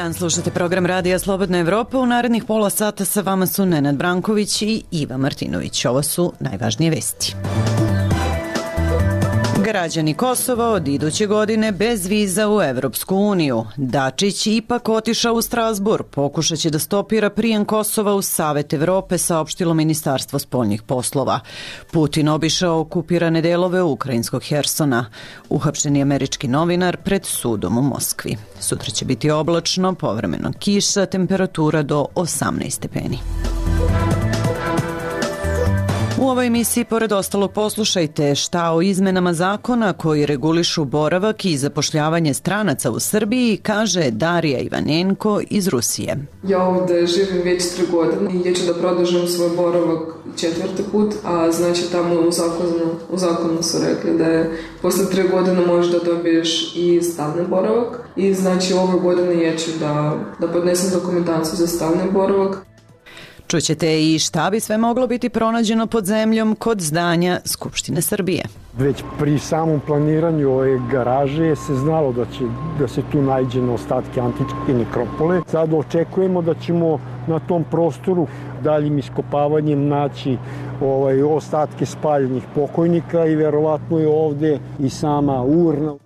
dan, slušate program Radija Slobodna Evropa. U narednih pola sata sa vama su Nenad Branković i Iva Martinović. Ovo su najvažnije vesti. Građani Kosova od iduće godine bez viza u Evropsku uniju. Dačić ipak otišao u Strazbur. Pokušat će da stopira prijem Kosova u Savet Evrope, saopštilo Ministarstvo spoljnih poslova. Putin obišao okupirane delove ukrajinskog Hersona. Uhapšen je američki novinar pred sudom u Moskvi. Sutra će biti oblačno, povremeno kiša, temperatura do 18 stepeni. U ovoj emisiji, pored ostalog, poslušajte šta o izmenama zakona koji regulišu boravak i zapošljavanje stranaca u Srbiji, kaže Darija Ivanenko iz Rusije. Ja ovde živim već 3 godine i ja ću da produžim svoj boravak 4. put, a znači tamo u zakonu su rekli da je posle 3 godine možeš da dobiješ i stalni boravak i znači ove godine ja ću da podnesem dokumentaciju za stalni boravak. Čućete i šta bi sve moglo biti pronađeno pod zemljom kod zdanja Skupštine Srbije. Već pri samom planiranju ove garaže se znalo da se tu nađe na ostatke antičke nekropole. Sad očekujemo da ćemo na tom prostoru daljim iskopavanjem naći ostatke spaljenih pokojnika i verovatno je ovde i sama urna.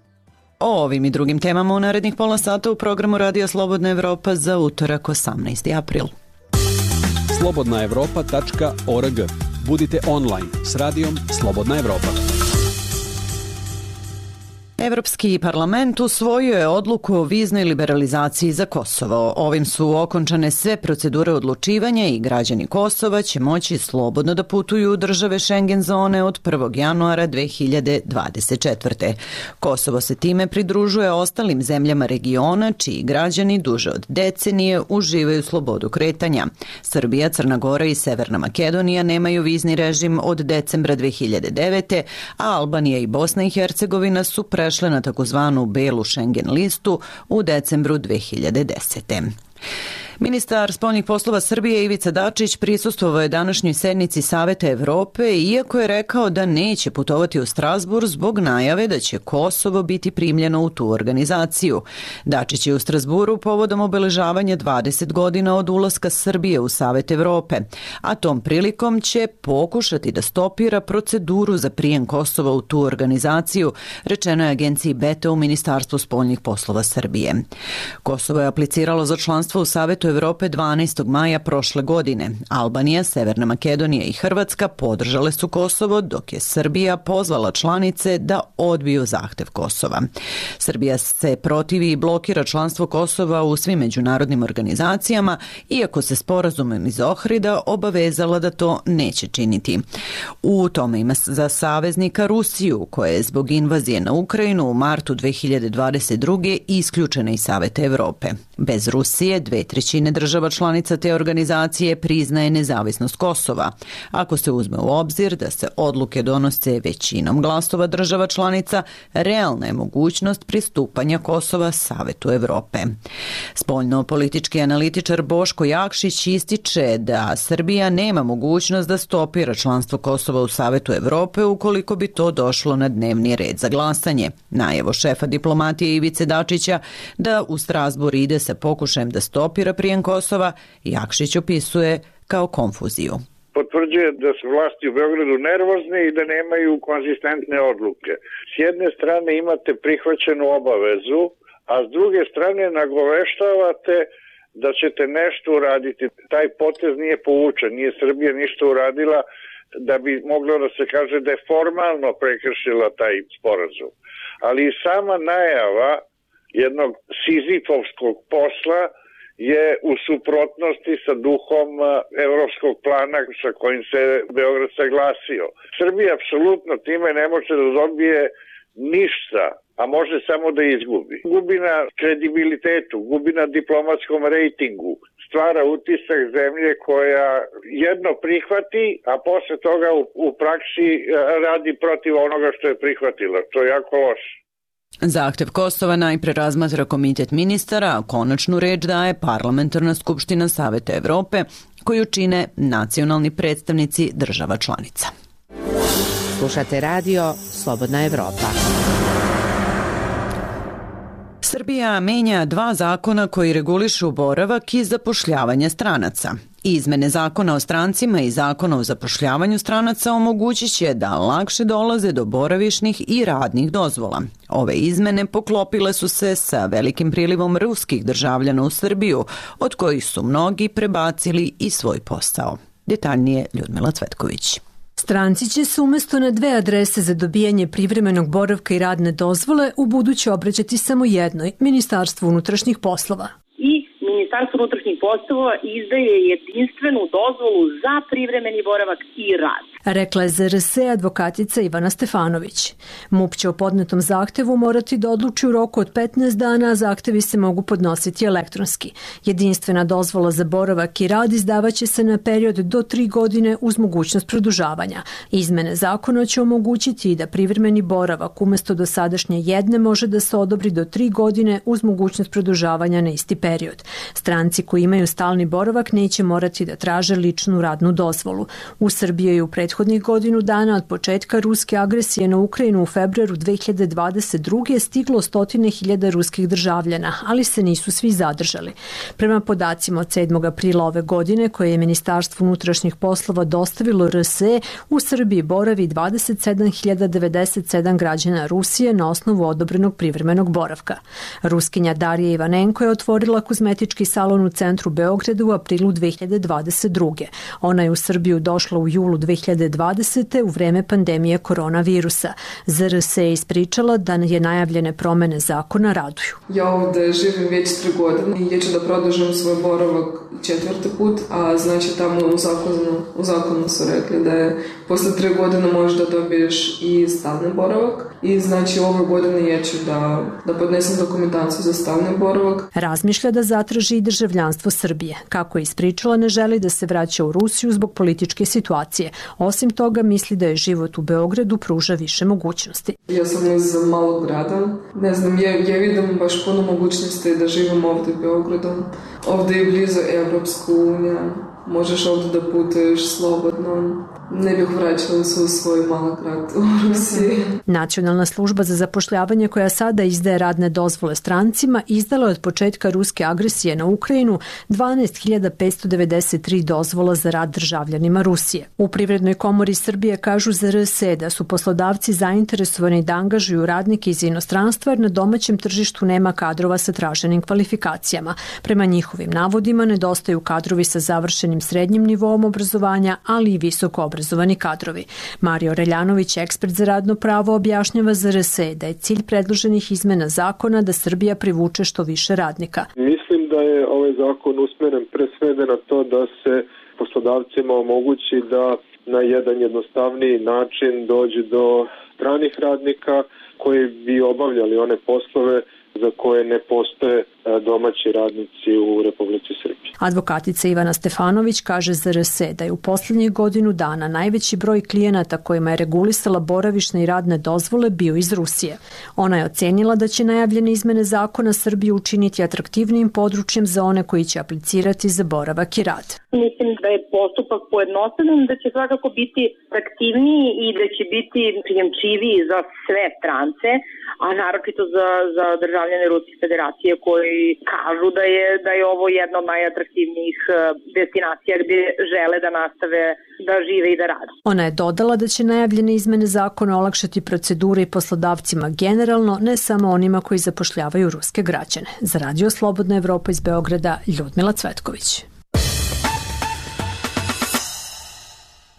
O ovim i drugim temama u narednih pola sata u programu Radija Slobodna Evropa za utorak 18. april. slobodnaevropa.org. Budite online s radijom Slobodna Evropa. Evropski parlament usvojio je odluku o viznoj liberalizaciji za Kosovo. Ovim su okončane sve procedure odlučivanja i građani Kosova će moći slobodno da putuju u države Schengen zone od 1. januara 2024. Kosovo se time pridružuje ostalim zemljama regiona čiji građani duže od decenije uživaju slobodu kretanja. Srbija, Crna Gora i Severna Makedonija nemaju vizni režim od decembra 2009. a Albanija i Bosna i Hercegovina su prešle na takozvanu belu Schengen listu u decembru 2010. Ministar spoljnih poslova Srbije Ivica Dačić prisustvovao je današnjoj sednici Saveta Evrope, iako je rekao da neće putovati u Strazbur zbog najave da će Kosovo biti primljeno u tu organizaciju. Dačić je u Strazburu povodom obeležavanja 20 godina od ulaska Srbije u Savet Evrope, a tom prilikom će pokušati da stopira proceduru za prijem Kosova u tu organizaciju, rečeno je agenciji BETA u Ministarstvu spoljnih poslova Srbije. Kosovo je apliciralo za članstvo u Savetu Evrope 12. maja prošle godine. Albanija, Severna Makedonija i Hrvatska podržale su Kosovo, dok je Srbija pozvala članice da odbiju zahtev Kosova. Srbija se protivi i blokira članstvo Kosova u svim međunarodnim organizacijama, iako se sporazumom iz Ohrida obavezala da to neće činiti. U tome ima za saveznika Rusiju, koja je zbog invazije na Ukrajinu u martu 2022. isključena iz Saveta Evrope. Bez Rusije 2/3 država članica te organizacije priznaje nezavisnost Kosova. Ako se uzme u obzir da se odluke donose većinom glasova država članica, realna je mogućnost pristupanja Kosova Savetu Evrope. Spoljno-politički analitičar Boško Jakšić ističe da Srbija nema mogućnost da stopira članstvo Kosova u Savetu Evrope ukoliko bi to došlo na dnevni red za glasanje. Najevo šefa diplomatije Ivice Dačića da u Strazbur ide sa pokušajem da stopira prijem Kosova, Jakšić opisuje kao konfuziju. Potvrđuje da su vlasti u Beogradu nervozne i da nemaju konzistentne odluke. S jedne strane imate prihvaćenu obavezu, a s druge strane nagoveštavate da ćete nešto uraditi. Taj potez nije povučen, nije Srbija ništa uradila da bi moglo da se kaže da je formalno prekršila taj sporazum. Ali i sama najava jednog sizifovskog posla je u suprotnosti sa duhom evropskog plana sa kojim se Beograd saglasio. Srbija apsolutno time ne može da dobije ništa, a može samo da izgubi. Gubi na kredibilitetu, gubi na diplomatskom rejtingu, stvara utisak zemlje koja jedno prihvati, a posle toga u praksi radi protiv onoga što je prihvatila. To je jako loše. Zahtev Kosova najpre razmatra komitet ministara, a konačnu reč daje Parlamentarna skupština Saveta Evrope, koju čine nacionalni predstavnici država članica. Slušate radio Slobodna Evropa. Srbija menja 2 zakona koji regulišu boravak i zapošljavanje stranaca. Izmene zakona o strancima i zakona o zapošljavanju stranaca omogućit će da lakše dolaze do boravišnih i radnih dozvola. Ove izmene poklopile su se sa velikim prilivom ruskih državljana u Srbiju, od kojih su mnogi prebacili i svoj posao. Detaljnije Ljudmila Cvetković. Stranci će se umjesto na 2 adrese za dobijanje privremenog boravka i radne dozvole ubuduće obraćati samo jednoj, Ministarstvu unutrašnjih poslova. Ministarstvo unutrašnjih poslova izdaje jedinstvenu dozvolu za privremeni boravak i rad. Rekla je ZRS advokatica Ivana Stefanović. MUP će o podnetom zahtevu morati da odluči u roku od 15 dana, a zahtevi se mogu podnositi elektronski. Jedinstvena dozvola za boravak i rad izdavaće se na period do 3 godine uz mogućnost produžavanja. Izmene zakona će omogućiti i da privremeni boravak umjesto dosadašnje jedne može da se odobri do 3 godine uz mogućnost produžavanja na isti period. Stranci koji imaju stalni boravak neće morati da traže ličnu radnu dozvolu. U Srbiji je u prethodnih godinu dana od početka ruske agresije na Ukrajinu u februaru 2022. stiglo 100.000 ruskih državljana, ali se nisu svi zadržali. Prema podacima od 7. aprila ove godine, koje je Ministarstvo unutrašnjih poslova dostavilo RSE, u Srbiji boravi 27.097 građana Rusije na osnovu odobrenog privremenog boravka. Ruskinja Darija Ivanenko je otvorila kozmetički salon u centru Beograda u aprilu 2022. Ona je u Srbiju došla u julu 2020. u vreme pandemije koronavirusa. ZRS je ispričala da je najavljene promene zakona raduju. Ja ovde živim već 3 godine i ću da produžim svoj boravak 4. put, a znači tamo u zakonu su rekli da je posle 3 godine možeš da dobiješ i stalni boravak i znači ove godine ja ću da podnesem dokumentaciju za stalni boravak. Razmišlja da zatraži i državljanstvo Srbije. Kako je ispričala, ne želi da se vraća u Rusiju zbog političke situacije. Osim toga, misli da je život u Beogradu pruža više mogućnosti. Ja sam iz malog grada. Ne znam, ja vidim baš puno mogućnosti da živim ovde u Beogradu. Ovde je blizu Evropska unija. Možeš ovde da putuješ slobodno. Ne bih vraćala se u svoj mali grad u Rusiji. Nacionalna služba za zapošljavanje koja sada izdaje radne dozvole strancima izdala je od početka ruske agresije na Ukrajinu 12.593 dozvola za rad državljanima Rusije. U Privrednoj komori Srbije kažu za RS da su poslodavci zainteresovani da angažuju radnike iz inostranstva jer na domaćem tržištu nema kadrova sa traženim kvalifikacijama. Prema njihovim navodima nedostaju kadrovi sa završenim srednjim nivoom obrazovanja, ali i visoko obrazovani kadrovi. Mario Reljanović, ekspert za radno pravo, objašnjava za RS da je cilj predloženih izmena zakona da Srbija privuče što više radnika. Mislim da je ovaj zakon usmeren pre svega na to da se poslodavcima omogući da na jedan jednostavniji način dođe do stranih radnika koji bi obavljali one poslove za koje ne postoje domaći radnici u Republici Srbiji. Advokatica Ivana Stefanović kaže za RS da je u poslednjih godinu dana najveći broj klijenata kojima je regulisala boravišne i radne dozvole bio iz Rusije. Ona je ocenila da će najavljene izmene zakona Srbiju učiniti atraktivnijim područjem za one koji će aplicirati za boravak i rad. Mislim da je postupak pojednostavljen, da će svakako biti aktivniji i da će biti prijemčiviji za sve strance, a naročito za državljane Ruske federacije koji kažu da je ovo jedna od najatraktivnijih destinacija gdje žele da nastave da žive i da rade. Ona je dodala da će najavljene izmene zakona olakšati procedure i poslodavcima generalno, ne samo onima koji zapošljavaju ruske građane. Za Radio Slobodna Evropa iz Beograda, Ljudmila Cvetković.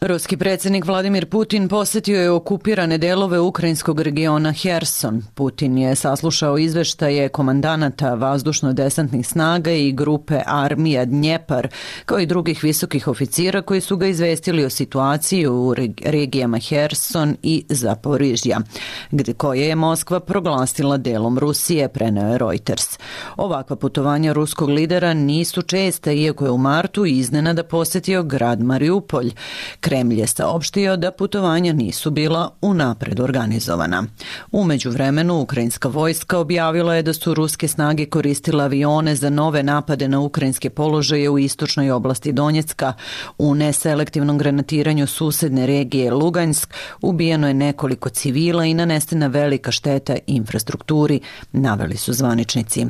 Ruski predsjednik Vladimir Putin posjetio je okupirane delove ukrajinskog regiona Herson. Putin je saslušao izveštaje komandanata vazdušno-desantnih snaga i grupe armija Dnjepar, kao i drugih visokih oficira koji su ga izvestili o situaciji u regijama Herson i Zaporižja, koje je Moskva proglasila delom Rusije, preneo je Reuters. Ovakva putovanja ruskog lidera nisu česta, iako je u martu iznenada posjetio grad Mariupolj. Kremlj je saopštio da putovanja nisu bila unapred organizovana. U međuvremenu, ukrajinska vojska objavila je da su ruske snage koristile avione za nove napade na ukrajinske položaje u istočnoj oblasti Donjecka. U neselektivnom granatiranju susedne regije Lugansk ubijeno je nekoliko civila i nanesena velika šteta infrastrukturi, naveli su zvaničnici.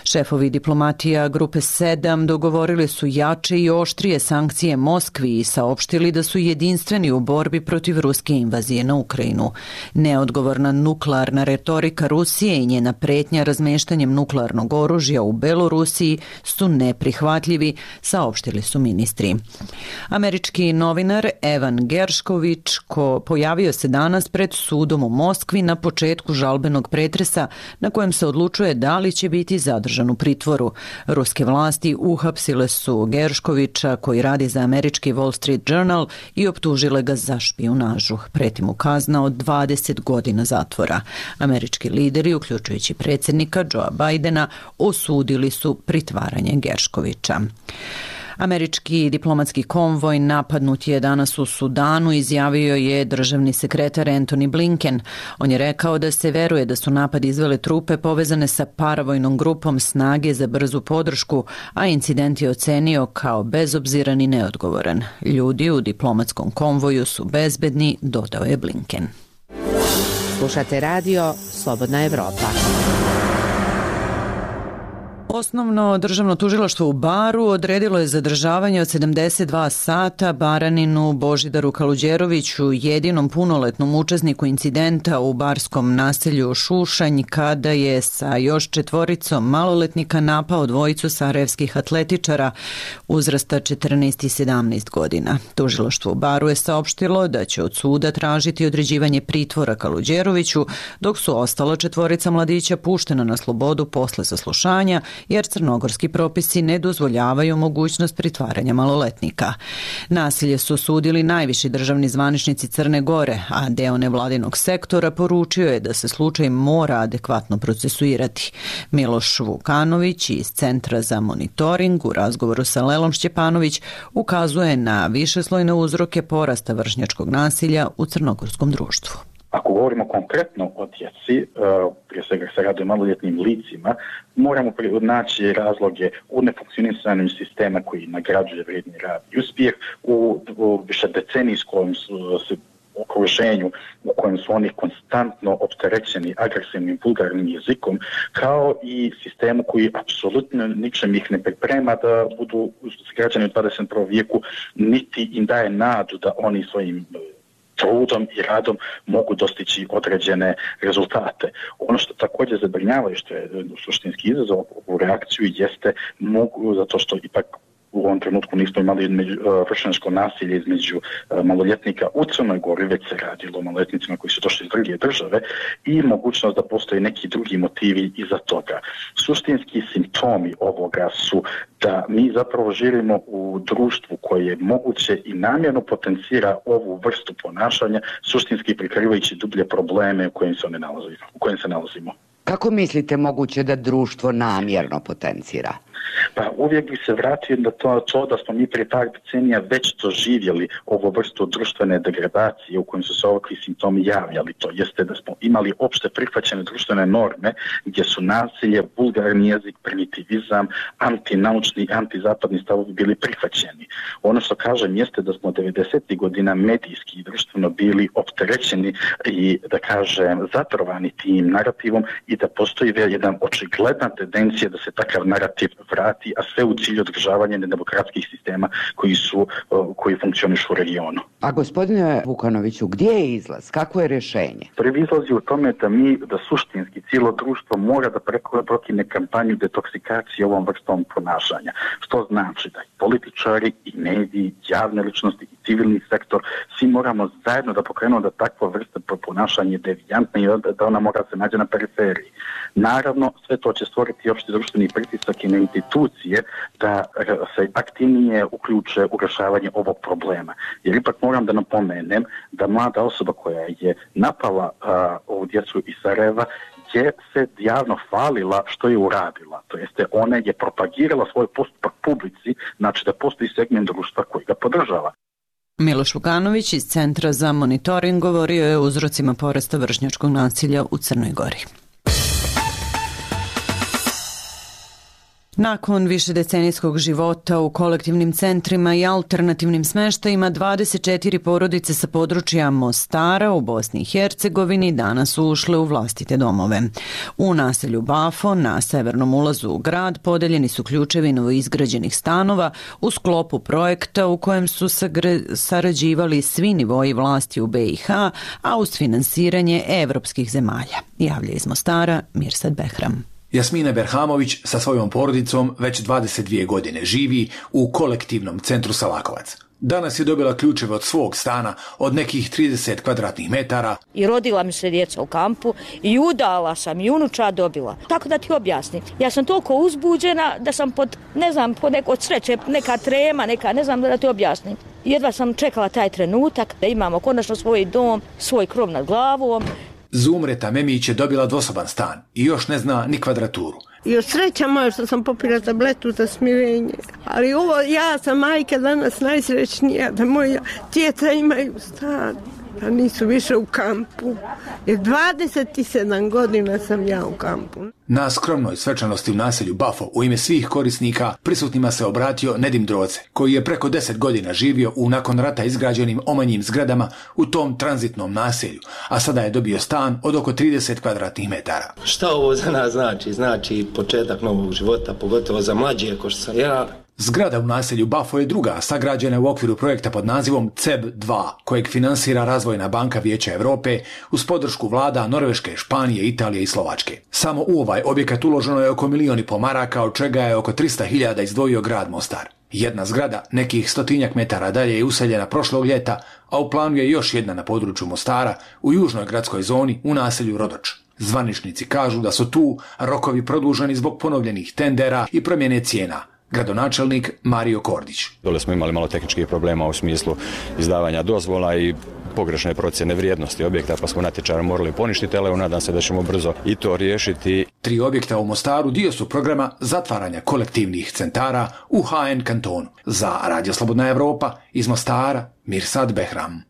Šefovi diplomatija Grupe 7 dogovorili su jače i oštrije sankcije Moskvi i saopštili da su jedinstveni u borbi protiv ruske invazije na Ukrajinu. Neodgovorna nuklearna retorika Rusije i njena pretnja razmeštanjem nuklearnog oružja u Belorusiji su neprihvatljivi, saopštili su ministri. Američki novinar Evan Gershkovich pojavio se danas pred sudom u Moskvi na početku žalbenog pretresa na kojem se odlučuje da li će biti zadržan u pritvoru. Ruske vlasti uhapsile su Gershkovića koji radi za američki Wall Street Journal i optužile ga za špijunažu. Preti mu kazna od 20 godina zatvora. Američki lideri, uključujući predsjednika Joea Bidena, osudili su pritvaranje Gershkovića. Američki diplomatski konvoj napadnut je danas u Sudanu, izjavio je državni sekretar Antony Blinken. On je rekao da se veruje da su napad izvele trupe povezane sa paravojnom grupom Snage za brzu podršku, a incident je ocenio kao bezobziran i neodgovoran. Ljudi u diplomatskom konvoju su bezbedni, dodao je Blinken. Slušate radio Slobodna Evropa. Osnovno državno tužilaštvo u Baru odredilo je zadržavanje od 72 sata Baraninu Božidaru Kaluđeroviću, jedinom punoletnom učesniku incidenta u barskom naselju Šušanj, kada je sa još 4 maloletnika napao dvojicu sarajevskih atletičara uzrasta 14 i 17 godina. Tužilaštvo u Baru je saopštilo da će od suda tražiti određivanje pritvora Kaluđeroviću, dok su ostala 4 mladića puštena na slobodu posle saslušanja, jer crnogorski propisi ne dozvoljavaju mogućnost pritvaranja maloletnika. Nasilje su osudili najviši državni zvaničnici Crne Gore, a deo nevladinog sektora poručio je da se slučaj mora adekvatno procesuirati. Miloš Vukanović iz Centra za monitoring u razgovoru sa Lelom Šćepanović ukazuje na višeslojne uzroke porasta vršnjačkog nasilja u crnogorskom društvu. Ako govorimo konkretno o djeci, prije svega se radi o maloljetnim licima, moramo naći razloge u nefunkcionisanju sistema koji nagrađuje vrijedni rad i uspjeh, u višedecenijskom okruženju u kojem su oni konstantno opterećeni agresivnim vulgarnim jezikom, kao i sistemu koji apsolutno ničem ih ne priprema da budu građani u 21. vijeku, niti im daje nadu da oni svojim trudom i radom mogu dostići određene rezultate. Ono što također zabrinjava i što je suštinski izazov u reakciju jeste zato što ipak u ovom trenutku nismo imali vršnjačko nasilje između maloljetnika u Crnoj Gori, već se radilo o maloljetnicima koji su došli iz druge države i mogućnost da postoje neki drugi motivi iza toga. Suštinski simptomi ovoga su da mi zapravo živimo u društvu koje moguće i namjerno potencira ovu vrstu ponašanja, suštinski prikrivajući dublje probleme u kojim se nalazimo. Kako mislite moguće da društvo namjerno potencira? Pa uvijek bi se vratio na to da smo mi prije par decenija već doživjeli ovu vrstu društvene degradacije u kojem su se ovakvi simptomi javljali. To jeste da smo imali opšte prihvaćene društvene norme gdje su nasilje, vulgarni jezik, primitivizam, antinaučni, antizapadni stavovi bili prihvaćeni. Ono što kažem jeste da smo 90. godina medijski i društveno bili opterećeni i da kažem zatrovani tim narativom i da postoji jedna očigledna tendencija da se takav narativ vrati, a sve u cilju održavanja nedemokratskih sistema koji funkcionišu u regionu. A gospodine Vukanoviću, gdje je izlaz? Kako je rješenje? Prvi izlaz je u tome da suštinski cijelo društvo mora da prokine kampanju detoksikacije ovom vrstom ponašanja. Što znači da i političari, i mediji, javne ličnosti, i civilni sektor, svi moramo zajedno da pokrenemo da takva vrsta ponašanja je devijantna i da ona mora se nađe na periferiji. Naravno, sve to će stvoriti opšti društveni pritisak i na institucije da se aktivnije uključe u rješavanje ovog problema. Jer ipak moram da napomenem da mlada osoba koja je napala ovu djecu iz Sarajeva je se javno hvalila što je uradila. To jeste, ona je propagirala svoj postupak publici, znači da postoji segment društva koji ga podržava. Miloš Vukanović iz Centra za monitoring govorio je o uzrocima porasta vršnjačkog nasilja u Crnoj Gori. Nakon višedecenijskog života u kolektivnim centrima i alternativnim smeštajima, 24 porodice sa područja Mostara u Bosni i Hercegovini danas su ušle u vlastite domove. U naselju Bafo, na severnom ulazu u grad, podeljeni su ključevi novoizgrađenih stanova u sklopu projekta u kojem su sarađivali svi nivoji vlasti u BiH, a uz finansiranje evropskih zemalja. Javlja iz Mostara Mirsad Behram. Jasmina Berhamović sa svojom porodicom već 22 godine živi u kolektivnom centru Salakovac. Danas je dobila ključeve od svog stana od nekih 30 kvadratnih metara. I rodila mi se djeca u kampu i udala sam i unučad dobila. Tako da ti objasnim. Ja sam toliko uzbuđena da sam pod od sreće, neka trema, ne znam da ti objasnim. Jedva sam čekala taj trenutak da imamo konačno svoj dom, svoj krov nad glavom. Zumreta Memić je dobila dvosoban stan i još ne zna ni kvadraturu. I od sreća moja što sam popila tabletu za smirenje. Ali ja sam majka danas najsrećnija da moja djeca imaju stan, da nisu više u kampu. Jer 27 godina sam ja u kampu. Na skromnoj svečanosti u naselju Bafo u ime svih korisnika prisutnima se obratio Nedim Droce, koji je preko 10 godina živio u nakon rata izgrađenim omanjim zgradama u tom tranzitnom naselju, a sada je dobio stan od oko 30 kvadratnih metara. Šta ovo za nas znači? Znači početak novog života, pogotovo za mlađe ako što sam ja. Zgrada u naselju Bafo je druga, sagrađena u okviru projekta pod nazivom CEB 2, kojeg finansira Razvojna banka Vijeća Evrope uz podršku vlada Norveške, Španije, Italije i Slovačke. Samo u ovaj objekat uloženo je oko 1,5 miliona maraka, od čega je oko 300.000 izdvojio grad Mostar. Jedna zgrada, nekih 100 metara dalje, je useljena prošlog ljeta, a u planu je još jedna na području Mostara, u južnoj gradskoj zoni, u naselju Rodoč. Zvaničnici kažu da su tu rokovi produženi zbog ponovljenih tendera i promjene cijena. Gradonačelnik Mario Kordić. Dole smo imali malo tehničkih problema u smislu izdavanja dozvola i pogrešne procjene vrijednosti objekta, pa smo natječaj morali poništiti, ali nadam se da ćemo brzo i to riješiti. 3 objekta u Mostaru dio su programa zatvaranja kolektivnih centara u HN kantonu. Za Radio Slobodna Evropa iz Mostara, Mirsad Behram.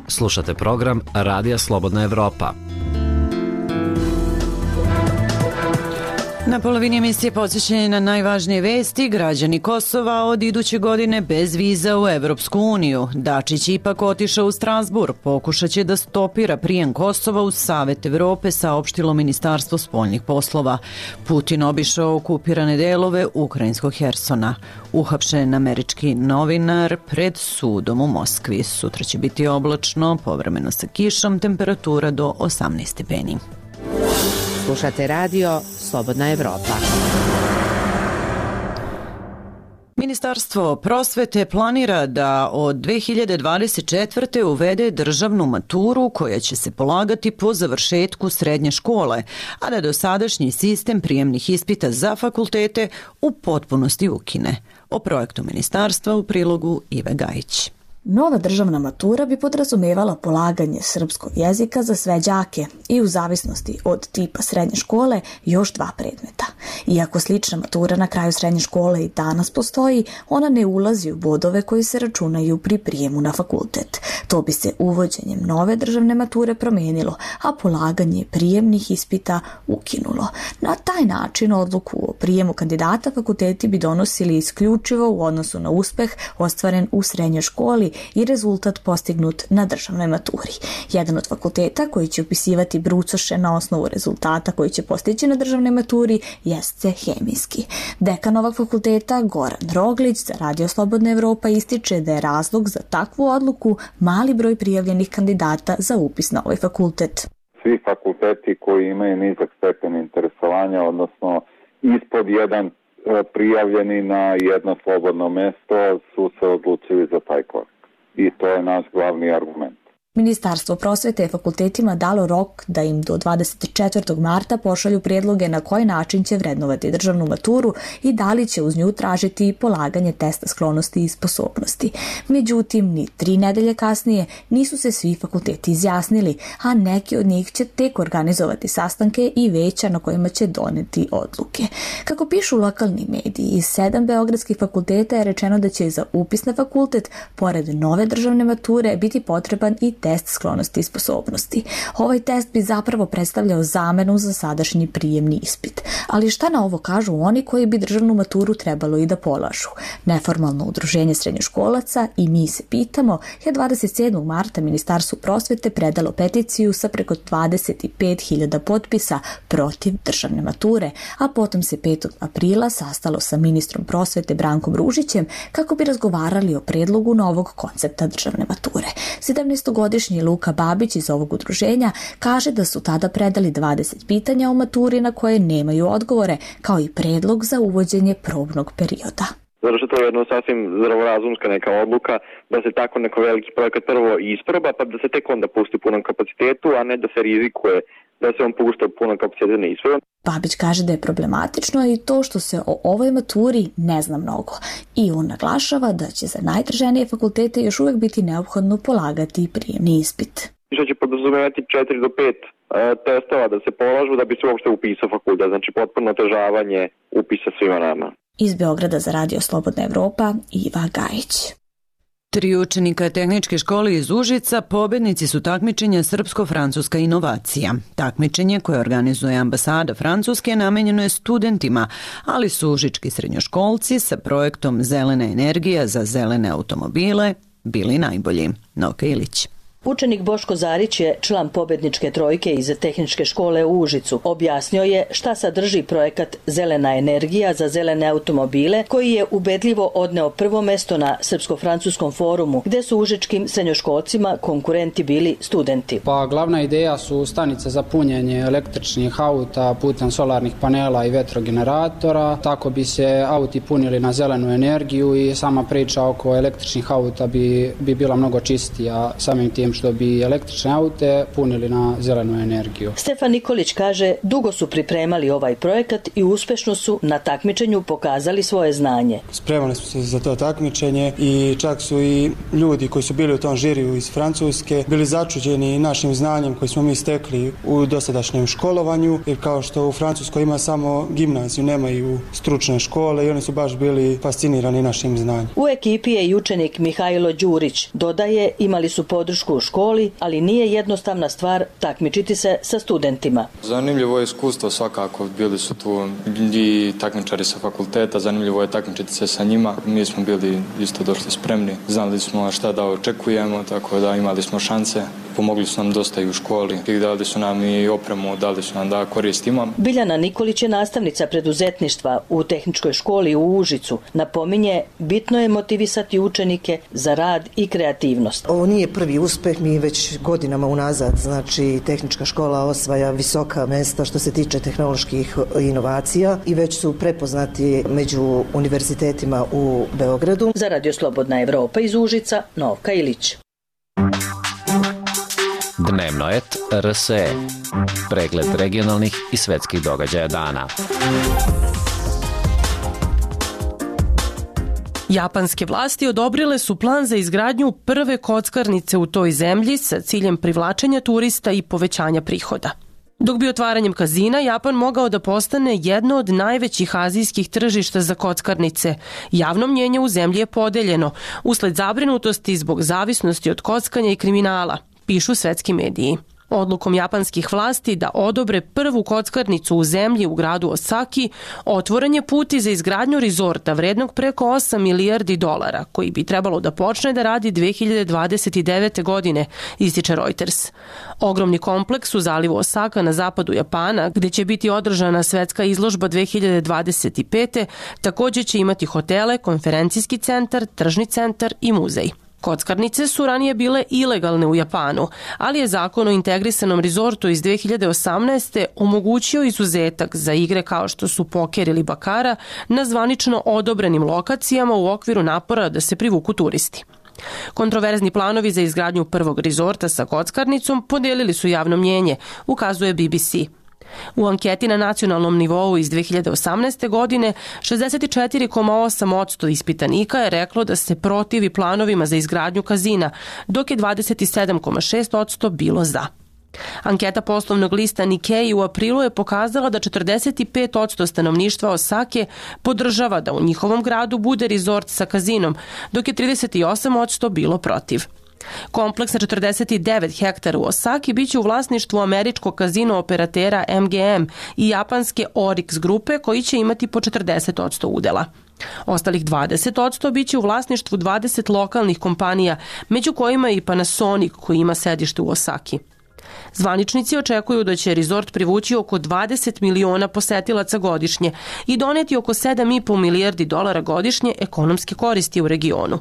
Slušate program Radija Slobodna Evropa. Na polovini emisije podsjećanje na najvažnije vesti. Građani Kosova od iduće godine bez viza u Evropsku uniju. Dačić ipak otišao u Strasbourg. Pokušat će da stopira prijem Kosova u Savet Evrope, saopštilo Ministarstvo spoljnih poslova. Putin obišao okupirane delove ukrajinskog Hersona. Uhapšen američki novinar pred sudom u Moskvi. Sutra će biti oblačno, povremeno sa kišom, temperatura do 18 stepeni. Slušate radio Slobodna Evropa. Ministarstvo prosvete planira da od 2024. uvede državnu maturu koja će se polagati po završetku srednje škole, a da dosadašnji sistem prijemnih ispita za fakultete u potpunosti ukine. O projektu ministarstva u prilogu Ive Gajić. Nova državna matura bi podrazumevala polaganje srpskog jezika za sve đake i u zavisnosti od tipa srednje škole još 2 predmeta. Iako slična matura na kraju srednje škole i danas postoji, ona ne ulazi u bodove koji se računaju pri prijemu na fakultet. To bi se uvođenjem nove državne mature promijenilo, a polaganje prijemnih ispita ukinulo. Na taj način odluku o prijemu kandidata fakulteti bi donosili isključivo u odnosu na uspeh ostvaren u srednjoj školi i rezultat postignut na državnoj maturi. Jedan od fakulteta koji će upisivati brucoše na osnovu rezultata koji će postići na državnoj maturi jeste hemijski. Dekan ovog fakulteta Goran Roglić za Radio Slobodna Evropa ističe da je razlog za takvu odluku mali broj prijavljenih kandidata za upis na ovaj fakultet. Svi fakulteti koji imaju nizak stepen interesovanja, odnosno ispod 1 prijavljeni na jedno slobodno mesto, su se odlučili za taj korak. I to je naš glavni argument. Ministarstvo prosvete je fakultetima dalo rok da im do 24. marta pošalju prijedloge na koji način će vrednovati državnu maturu i da li će uz nju tražiti polaganje testa sklonosti i sposobnosti. Međutim, ni 3 nedelje kasnije nisu se svi fakulteti izjasnili, a neki od njih će tek organizovati sastanke i veća na kojima će doneti odluke. Kako pišu lokalni mediji, iz 7 beogradskih fakulteta je rečeno da će za upis na fakultet, pored nove državne mature, biti potreban i test sklonosti i sposobnosti. Ovaj test bi zapravo predstavljao zamenu za sadašnji prijemni ispit. Ali šta na ovo kažu oni koji bi državnu maturu trebalo i da polažu? Neformalno udruženje srednjoškolaca I mi se pitamo je 27. marta Ministarstvu prosvete predalo peticiju sa preko 25.000 potpisa protiv državne mature, a potom se 5. aprila sastalo sa ministrom prosvete Brankom Ružićem kako bi razgovarali o predlogu novog koncepta državne mature. 17-godišnji Luka Babić iz ovog udruženja kaže da su tada predali 20 pitanja o maturi na koje nemaju odgovore, kao I predlog za uvođenje probnog perioda. Zato što to je jedno sasvim zdravorazumska neka odluka da se tako neko veliki projekat prvo isproba, pa da se tek onda pusti u punom kapacitetu, a ne da se rizikuje da se on pušta u punom kapacitetu ne isproba. Babić kaže da je problematično I to što se o ovoj maturi ne zna mnogo. I on naglašava da će za najtraženije fakultete još uvijek biti neophodno polagati prijemni ispit. Što će podrazumevati 4 do 5 testova da se polažu da bi se uopšte upisao fakultet, znači potpuno otežavanje upisa svima nama. Iz Beograda za Radio Slobodna Evropa, Iva Gajić. 3 učenika tehničke škole iz Užica pobednici su takmičenja Srpsko-francuska inovacija. Takmičenje koje organizuje ambasada Francuske namenjeno je studentima, ali su užički srednjoškolci sa projektom Zelena energija za zelene automobile bili najbolji. Noka Ilić. Učenik Boško Zarić je član pobedničke trojke iz tehničke škole u Užicu. Objasnio je šta sadrži projekat Zelena energija za zelene automobile, koji je ubedljivo odneo prvo mesto na Srpsko-francuskom forumu, gde su užičkim srednjoškolcima konkurenti bili studenti. Pa glavna ideja su stanice za punjenje električnih auta putem solarnih panela I vetrogeneratora. Tako bi se auti punili na zelenu energiju I sama priča oko električnih auta bi bila mnogo čistija samim tim što bi električne aute punili na zelenu energiju. Stefan Nikolić kaže, dugo su pripremali ovaj projekat I uspešno su na takmičenju pokazali svoje znanje. Spremali su se za to takmičenje I čak su I ljudi koji su bili u tom žiriju iz Francuske bili začuđeni našim znanjem koji smo mi stekli u dosadašnjem školovanju, jer kao što u Francuskoj ima samo gimnaziju, nemaju stručne škole I oni su baš bili fascinirani našim znanjem. U ekipi je I učenik Mihajlo Đurić. Dodaje, imali su podršku u školi, ali nije jednostavna stvar takmičiti se sa studentima. Zanimljivo je iskustvo svakako, bili su tu I takmičari sa fakulteta, zanimljivo je takmičiti se sa njima. Mi smo bili isto došli spremni, znali smo šta da očekujemo, tako da imali smo šanse. Pomogli su nam dosta I u školi, dali su nam I opremu, dali su nam da koristimo. Biljana Nikolić je nastavnica preduzetništva u tehničkoj školi u Užicu. Napominje, bitno je motivisati učenike za rad I kreativnost. Ovo nije prvi uspeh, mi već godinama unazad, znači tehnička škola osvaja visoka mesta što se tiče tehnoloških inovacija I već su prepoznati među univerzitetima u Beogradu. Za Radio Slobodna Evropa iz Užica, Novka Ilić. Dnevnoet RSE. Pregled regionalnih I svetskih događaja dana. Japanske vlasti odobrile su plan za izgradnju prve kockarnice u toj zemlji sa ciljem privlačenja turista I povećanja prihoda. Dok bi otvaranjem kazina Japan mogao da postane jedno od najvećih azijskih tržišta za kockarnice, javno mnjenje u zemlji je podeljeno usled zabrinutosti zbog zavisnosti od kockanja I kriminala, pišu svetski mediji. Odlukom japanskih vlasti da odobre prvu kockarnicu u zemlji u gradu Osaki, otvoren je put I za izgradnju rizorta vrednog preko 8 milijardi dolara, koji bi trebalo da počne da radi 2029. godine, ističe Reuters. Ogromni kompleks u zalivu Osaka na zapadu Japana, gde će biti održana svetska izložba 2025. također će imati hotele, konferencijski centar, tržni centar I muzej. Kockarnice su ranije bile ilegalne u Japanu, ali je zakon o integrisanom rizortu iz 2018. omogućio izuzetak za igre kao što su poker ili bakara na zvanično odobrenim lokacijama u okviru napora da se privuku turisti. Kontroverzni planovi za izgradnju prvog rezorta sa kockarnicom podijelili su javno mnjenje, ukazuje BBC. U anketi na nacionalnom nivou iz 2018. godine 64,8% ispitanika je reklo da se protivi planovima za izgradnju kazina, dok je 27,6% bilo za. Anketa poslovnog lista Nikkei u aprilu je pokazala da 45% stanovništva Osake podržava da u njihovom gradu bude rezort sa kazinom, dok je 38% bilo protiv. Kompleks na 49 hektara u Osaki biće u vlasništvu američkog kazino operatera MGM i japanske Orix grupe koji će imati po 40% udela. Ostalih 20% biće u vlasništvu 20 lokalnih kompanija, među kojima i Panasonic koji ima sedište u Osaki. Zvaničnici očekuju da će rezort privući oko 20 miliona posetilaca godišnje i doneti oko 7,5 milijardi dolara godišnje ekonomske koristi u regionu.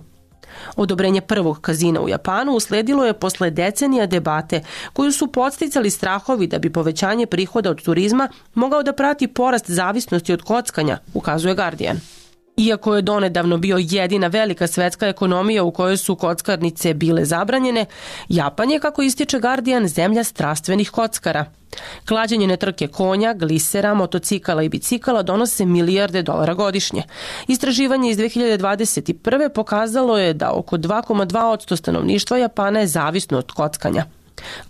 Odobrenje prvog kazina u Japanu usledilo je posle decenija debate koju su podsticali strahovi da bi povećanje prihoda od turizma mogao da prati porast zavisnosti od kockanja, ukazuje Guardian. Iako je donedavno bio jedina velika svetska ekonomija u kojoj su kockarnice bile zabranjene, Japan je, kako ističe Guardian, zemlja strastvenih kockara. Klađenje trke konja, glisera, motocikala i bicikala donose milijarde dolara godišnje. Istraživanje iz 2021. pokazalo je da oko 2,2% stanovništva Japana je zavisno od kockanja.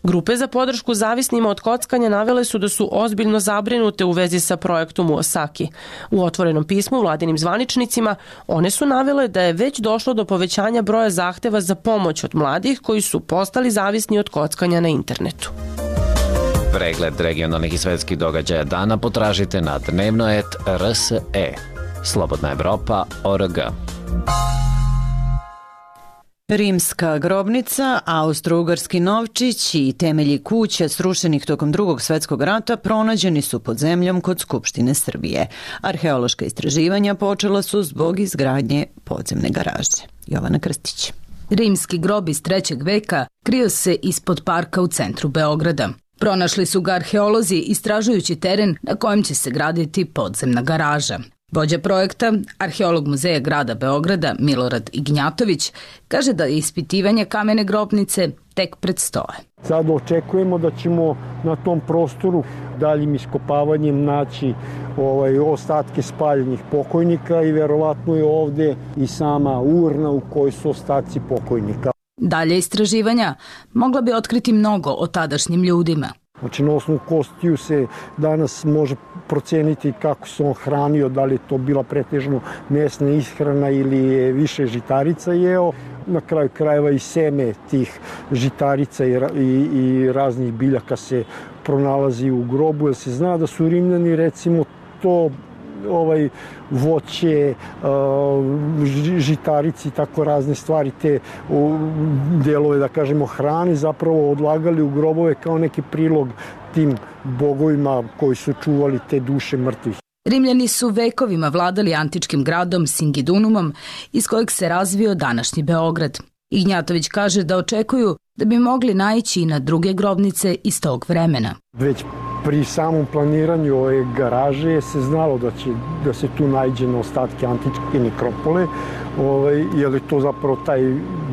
Grupe za podršku zavisnima od kockanja navele su da su ozbiljno zabrinute u vezi sa projektom u Osaki. U otvorenom pismu vladinim zvaničnicima one su navele da je već došlo do povećanja broja zahteva za pomoć od mladih koji su postali zavisni od kockanja na internetu. Pregled regionalnih i svetskih događaja dana potražite na dnevnoet.rse. Slobodna Evropa.org. Rimska grobnica, austro-ugarski novčić i temelji kuća srušenih tokom Drugog svetskog rata pronađeni su pod zemljom kod Skupštine Srbije. Arheološka istraživanja počela su zbog izgradnje podzemne garaže. Jovana Krstić. Rimski grob iz 3. veka krio se ispod parka u centru Beograda. Pronašli su ga arheolozi istražujući teren na kojem će se graditi podzemna garaža. Vođa projekta, arheolog Muzeja grada Beograda Milorad Ignjatović, kaže da ispitivanje kamene grobnice tek predstoje. Sad očekujemo da ćemo na tom prostoru daljim iskopavanjem naći ostatke spaljenih pokojnika i verovatno je ovde i sama urna u kojoj su ostaci pokojnika. Dalje istraživanja mogla bi otkriti mnogo o tadašnjim ljudima. Znači, na osnovu kostiju se danas može proceniti kako se on hranio, da li je to bila pretežno mesna ishrana ili je više žitarica jeo. Na kraju krajeva i seme tih žitarica i raznih biljaka se pronalazi u grobu, jer se zna da su Rimljani recimo to voće, žitarici i tako razne stvari, te delove, da kažemo, hrane zapravo odlagali u grobove kao neki prilog tim bogovima koji su čuvali te duše mrtvih. Rimljani su vekovima vladali antičkim gradom Singidunumom iz kojeg se razvio današnji Beograd. Ignjatović kaže da očekuju da bi mogli naići i na druge grobnice iz tog vremena. Već pri samom planiranju ove garaže se znalo da se tu nađe na ostatke antičke nekropole, jer je to zapravo taj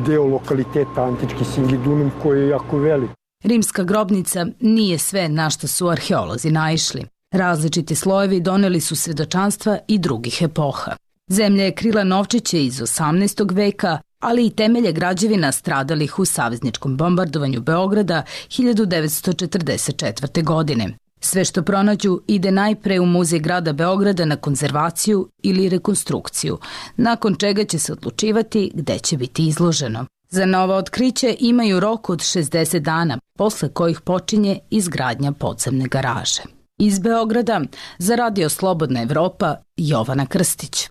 deo lokaliteta antički Singidunum koji je jako velik. Rimska grobnica nije sve na što su arheolozi naišli. Različiti slojevi doneli su svedočanstva i drugih epoha. Zemlja je krila novčiće iz 18. veka, ali i temelje građevina stradalih u savezničkom bombardovanju Beograda 1944. godine. Sve što pronađu ide najpre u Muzej grada Beograda na konzervaciju ili rekonstrukciju, nakon čega će se odlučivati gde će biti izloženo. Za novo otkriće imaju rok od 60 dana, posle kojih počinje izgradnja podzemne garaže. Iz Beograda za Radio Slobodna Evropa, Jovana Krstić.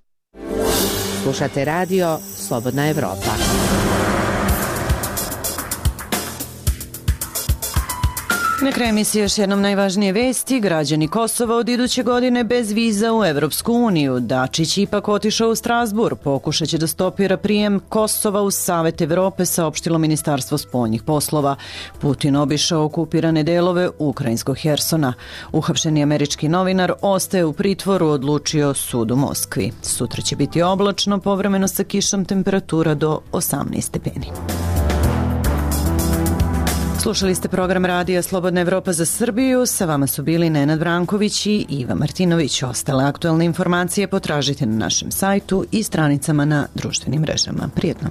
Slušate radio Slobodna Evropa. Na kraju emisije još jednom najvažnije vesti. Građani Kosova od iduće godine bez viza u Evropsku uniju. Dačić ipak otišao u Strasbur. Pokušat će da stopira prijem Kosova u Savet Evrope, saopštilo Ministarstvo spoljnih poslova. Putin obišao okupirane delove ukrajinskog Hersona. Uhapšeni američki novinar ostaje u pritvoru, odlučio sud u Moskvi. Sutra će biti oblačno, povremeno sa kišom, temperatura do 18 stepeni. Slušali ste program radija Slobodna Evropa za Srbiju. Sa vama su bili Nenad Branković i Iva Martinović. Ostale aktualne informacije potražite na našem sajtu i stranicama na društvenim mrežama. Prijetno!